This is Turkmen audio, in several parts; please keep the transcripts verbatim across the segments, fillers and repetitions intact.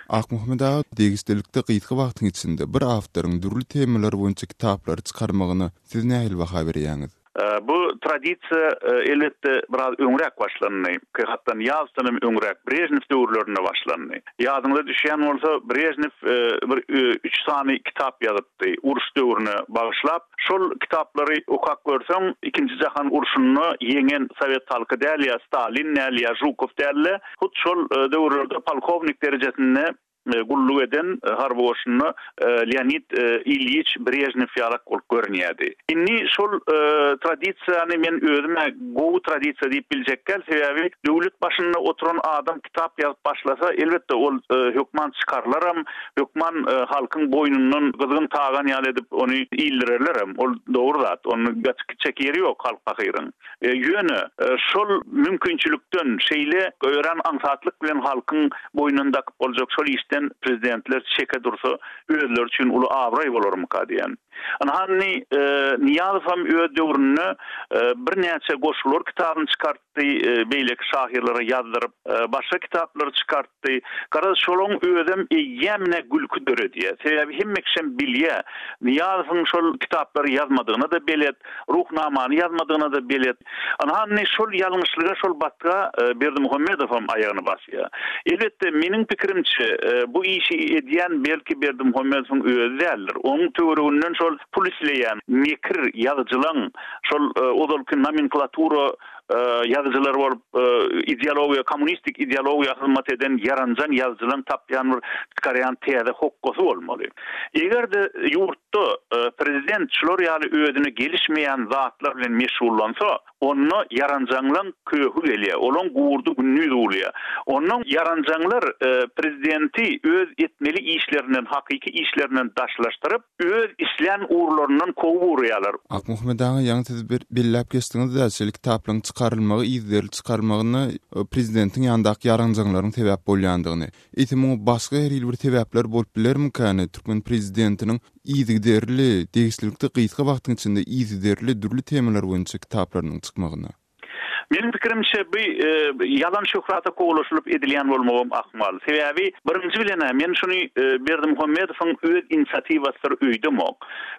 Akmuhammet aga, degişlilikde gysga wagtyň içinde bir awtoryň dürli temalar boýunça kitaplary çykarmagyna siz nähili baha berýäňiz? Bu tradisiýa elbetde biraz öňräk başlandy. Hatda Nyýazowdan hem öňräk, Brežnew döwürlerinde başlandy. Ýadyňyza düşýän bolsa, Brežnew bir üç sany kitap ýazypdy, uruş döwrüne bagyşlap. Şol kitaplary okap görseň, Ikinji jahan urşunda ýeňen sowet halky däl ýa Stalin däl ýa Žukow däl-de, hut şol döwürlerde polkownik derejesinde gulluk eden harby goşunda Leonid Ilýiç Brežnew ýalak bolup görünýärdi. Indi şol tradisiýany men özüme gowy tradisiýa diýip biljek däl, sebäbi döwlet başynda oturan adam kitap ýazyp başlasa, elbetde ol hökman çykarlaram, hökman halkyň boýnundan gyzgyn tagan ýaly edip ony ildirerlerem. Ol dogry zat, ony gaçyp gitjek ýeri ýok halk pahyryň. Ýöne şol mümkinçilikden şeýle örän aňsatlyk bilen halkyň boýnundan dakyp boljak şol işden prezidentler çeke dursa özleri üçin uly abraý bolarmyka diýen. Ynha indi Nyýazow hem öz döwründe birnäçe goşgular kitabyny çykartdy, beýleki şahyrlara ýazdyryp, başga kitaplary çykartdy. Garaz, şolaň özem eýýämine gülki döredýär. Sebäbi hemme kişem bilýär. Nyýazowyň şol kitaplary ýazmadygyna-da belet, Ruhnamany ýazmadygyna-da belet. Ynha indi şol ýalňyşlyga, şol batga Berdimuhamedow hem aýagyny basýar. Elbetde, meniň pikirimçe, bu işi edýän belki Berdimuhamedowyň özi däldir. Onuň töwereginden şol pul isleýän mekir ýazyjylaň, şol ozalky nomenklatura ýazyjylar bolup ideologiýa, kommunistik ideologiýa hyzmat eden ýaranjaň ýazyjylaň tapýan bir çykarýan täze hokgasy bolmaly. Eger-de ýurtda prezident şular ýaly özüne gelişmeýän zatlar bilen meşgullansa, onda ýaranjaňlaň köhi gelýär, olaň gurdy gündiz bolýar. Ondan ýaranjaňlar prezidenti öz etmeli işlerinden, hakyky işlerinden daşlaşdyryp, öz islän ugurlaryndan kowup urýarlar. Akmuhammet aga, ýaňy siz bir belläp geçdiňiz-de, şeýle kitaplaryň çykarylmagy, yzygiderli çykarylmagyna prezidentiň ýanyndaky ýaranjaňlaryň sebäp bolýandygyny. Eýsem muňa başga her hili bir sebäpler bolup bilermikäni türkmen prezidentiniň yzygiderli, degişlilikde gysga wagtyň içinde yzygiderli dürli temalar boýunça kitaplarynyň çykmagyna? Meniň pikirimçe bu ýalan şöhrata kowalaşylyp edilýän bolmagam ahmal. Sebäbi birinji bilen men şuny Berdimuhamedowyň öz inisiatiwasydyr öýdemok.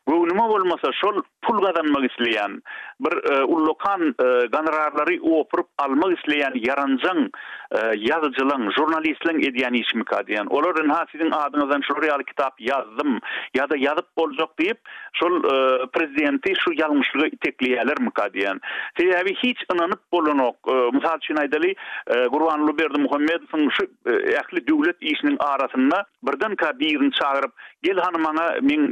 Göwnüme bolmasa şol pul gazanmak isleýän, bir ullakan gonorarlary opuryp almak isleýän ýaranjaň ýazyjylaň, žurnalistleň edýän işimika diýen. Olar ynha siziň adyňyzdan şular ýaly kitap ýazdym ýa-da ýazyp boljak diýip, şol prezidenti şu ýalňyşlyga itekleýärlermika diýen. Sebäbi hiç ynanyp bolanok. Mysal üçin aýdaly, Gurbanguly Berdimuhamedowyň şu ähli döwlet işiniň arasynda birdenkä birini çagyryp, gel hany maňa meň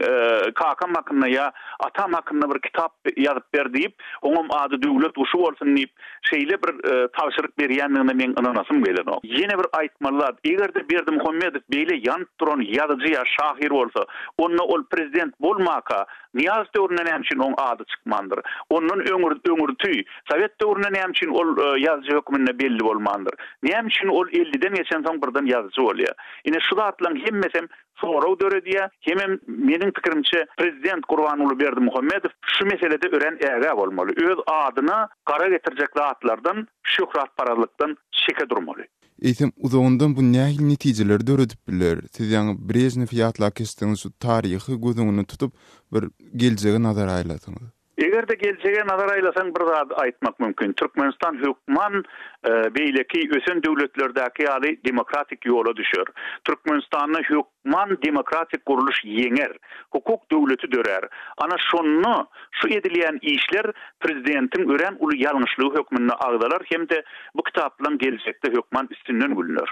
kakam hakynda ýa atam hakynda bir kitap ýazyp ber diýip, oňam ady döwlet guşy bolsun diýip, şeýle bir tabşyryk berýändigine meň ynanasym gelenok. Ýene bir aýtmaly zat, eger-de Berdimuhamedow beýle ýanyp duran ýazyjy ýa şahyr bolsa, onda ol prezident bolmaka, Nyýazow döwründe näme üçin oň ady çykmandyr? Ondan öňür öňürti Sowet döwründe näme üçin ol ýazyjy hökmünde belli bolmandyr? Näme üçin ol elliden geçen soň birden ýazyjy bolýar? Ine şu zatlaryň hemmesi sorag döredýär. Hemem meniň pikirimçe prezident Gurbanguly Berdimuhamedow şu meselede örän ägä bolmaly. Öz adyna gara getirjek zatlardan, şöhratparazlykdan çeke durmaly. Eýsem uzagyndan bu nähili netijeleri döredip biler? Siz ýaňy Brejnew ýatlap geçdiňiz, şu taryhy göz öňünde tutup bir geljege nazar aýladyňyz. Eger-de geljege nazar aýlasaň bir zat aýtmak mümkin. Türkmenistan hökman beýleki ösen döwletlerdäki ýaly demokratik ýola düşer. Türkmenistanda hökman demokratik gurluş ýeňer. Hukuk döwleti dörer. Ana şonda şu edilýän işler prezidentiň örän uly ýalňyşlygy hökmünde agzalar hem-de bu kitaplaryň geljekde hökman üstünden gülüner.